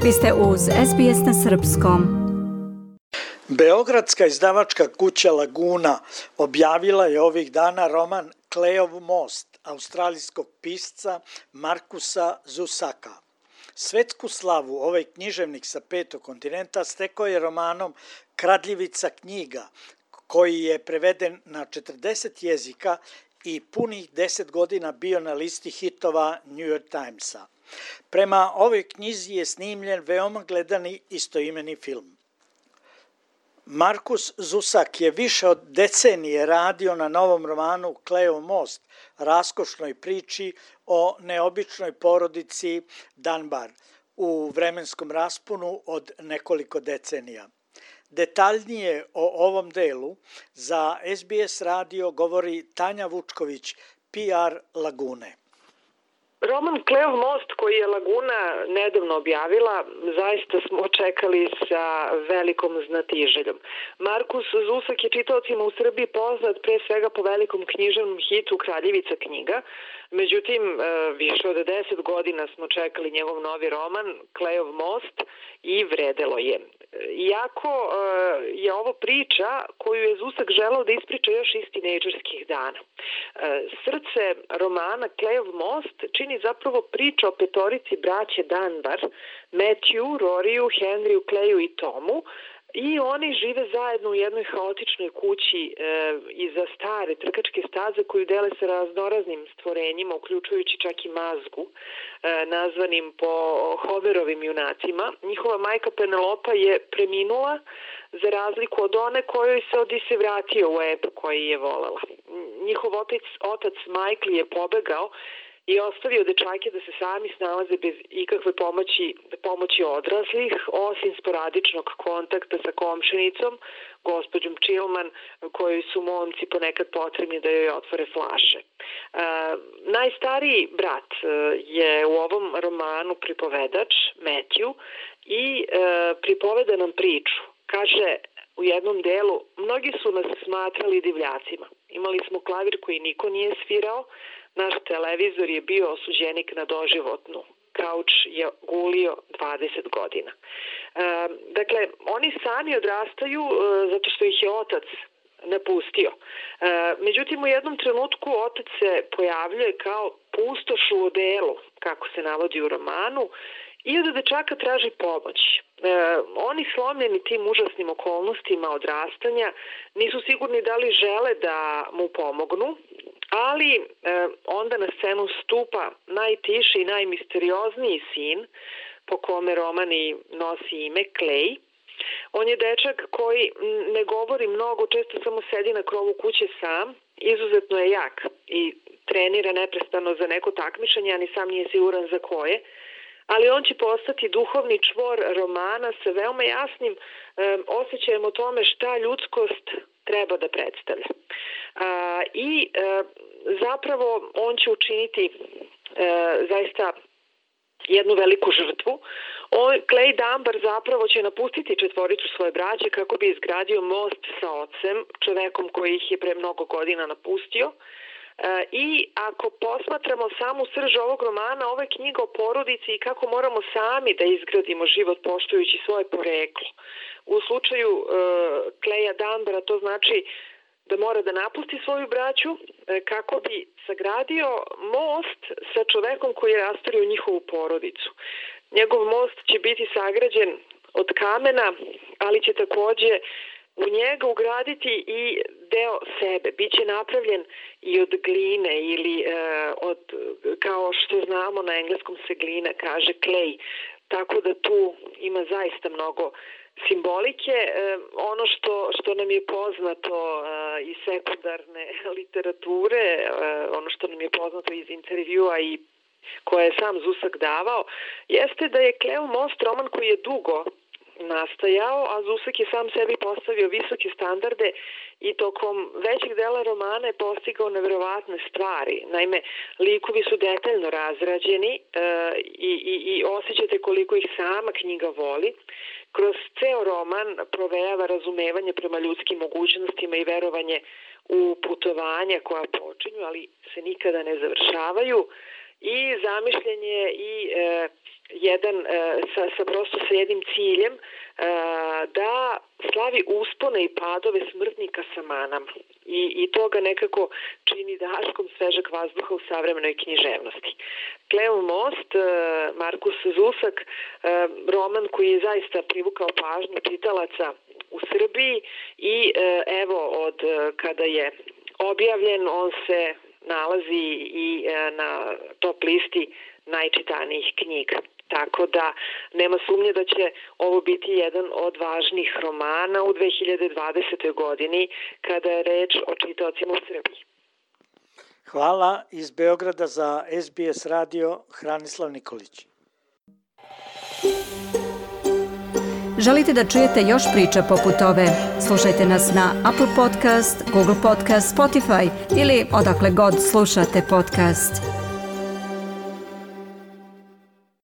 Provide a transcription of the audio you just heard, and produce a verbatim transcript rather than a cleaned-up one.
Vi ste uz S B S na srpskom. Beogradska izdavačka kuća Laguna objavila je ovih dana roman Kleov most australijskog pisca Markusa Zusaka. Svetsku slavu ovaj književnik sa petog kontinenta stekao je romanom Kradljivica knjiga, koji je preveden na četrdeset jezika i punih deset godina bio na listi hitova New York Timesa. Prema ovoj knjizi je snimljen veoma gledani istoimeni film. Markus Zusak je više od decenije radio na novom romanu Kleov most, raskošnoj priči o neobičnoj porodici Dunbar u vremenskom rasponu od nekoliko decenija. Detaljnije o ovom delu za S B S radio govori Tanja Vučković, P R Lagune. Roman Kleov most koji je Laguna nedavno objavila, zaista smo čekali sa velikom znatiželjom. Markus Zusak je čitaocima u Srbiji poznat pre svega po velikom književnom hitu Kradljivica knjiga. Međutim, više od deset godina smo čekali njegov novi roman Kleov most i vredelo je. Iako je ovo priča koju je Zusak želeo da ispriča još iz tinejdžerskih dana. Srce romana Kleov most čini zapravo priča o petorici braće Dunbar, Matthew, Roriju, Henryu, Kleju i Tomu, i oni žive zajedno u jednoj haotičnoj kući e, iza stare trkačke staze koju dele sa raznoraznim stvorenjima, uključujući čak i mazgu, e, nazvanim po Homerovim junacima. Njihova majka Penelopa je preminula za razliku od one kojoj se Odisej vratio u ep koji je volela. Njihov otac, otac Michael je pobegao i ostavio dečake da se sami snalaze bez ikakve pomoći, pomoći odraslih, osim sporadičnog kontakta sa komšinicom, gospođom Chilman, kojoj su momci ponekad potrebni da joj otvore flaše. E, najstariji brat je u ovom romanu pripovedač, Matthew, i e, pripoveda nam priču. Kaže u jednom delu, mnogi su nas smatrali divljacima. Imali smo klavir koji niko nije svirao, naš televizor je bio osuđenik na doživotnu. Kauč je gulio dvadeset godina. E, dakle, oni sami odrastaju e, zato što ih je otac napustio. E, međutim, u jednom trenutku otac se pojavljuje kao pustoš u odelu, kako se navodi u romanu, i od dečaka traži pomoć. E, oni slomljeni tim užasnim okolnostima odrastanja nisu sigurni da li žele da mu pomognu, ali e, onda na scenu stupa najtiši i najmisteriozniji sin, po kome roman i nosi ime Clay. On je dečak koji ne govori mnogo, često samo sedi na krovu kuće sam, izuzetno je jak i trenira neprestano za neko takmičenje, a ni sam nije siguran za koje, ali on će postati duhovni čvor romana sa veoma jasnim e, osjećajem o tome šta ljudskost treba da predstavlja. A, I e, zapravo on će učiniti e, zaista jednu veliku žrtvu. On, Clay Dunbar zapravo će napustiti četvoricu svoje braće kako bi izgradio most sa ocem, čovekom koji ih je pre mnogo godina napustio. E, I ako posmatramo samu srž ovog romana, ovo je knjiga o porodici i kako moramo sami da izgradimo život poštujući svoje poreklo. U slučaju e, Claya Dunbara to znači da mora da napusti svoju braću e, kako bi sagradio most sa čovekom koji je rastorio njihovu porodicu. Njegov most će biti sagrađen od kamena, ali će takođe u njega ugraditi i deo sebe. Biće napravljen i od gline ili e, od, kao što znamo na engleskom se glina kaže clay. Tako da tu ima zaista mnogo simbolike. E, ono što, što nam je poznato e, iz sekundarne literature, e, ono što nam je poznato iz intervjua i koje je sam Zusak davao, jeste da je Kleov most roman koji je dugo nastajao, a Zusak je sam sebi postavio visoke standarde i tokom većeg dela romana je postigao neverovatne stvari. Naime, likovi su detaljno razrađeni e, i, i, i osjećate koliko ih sama knjiga voli. Kroz ceo roman provejava razumevanje prema ljudskim mogućnostima i verovanje u putovanja koja počinju, ali se nikada ne završavaju. i zamišljen je i e, jedan, e, sa, sa prosto sa jednim ciljem, e, da slavi uspone i padove smrtnika sa manama. I, i to ga nekako čini daškom svežeg vazduha u savremenoj književnosti. Kleov most, Markus Zusak, roman koji je zaista privukao pažnju čitalaca u Srbiji i evo od kada je objavljen on se nalazi i na top listi najčitanijih knjiga. Tako da nema sumnje da će ovo biti jedan od važnih romana u dve hiljade dvadesetoj godini kada je reč o čitaocima u Srbiji. Hvala iz Beograda za S B S radio Hranislav Nikolić. Želite da čujete još priča poput ove? Slušajte nas na Apple Podcast, Google Podcast, Spotify ili odakle god slušate podcast.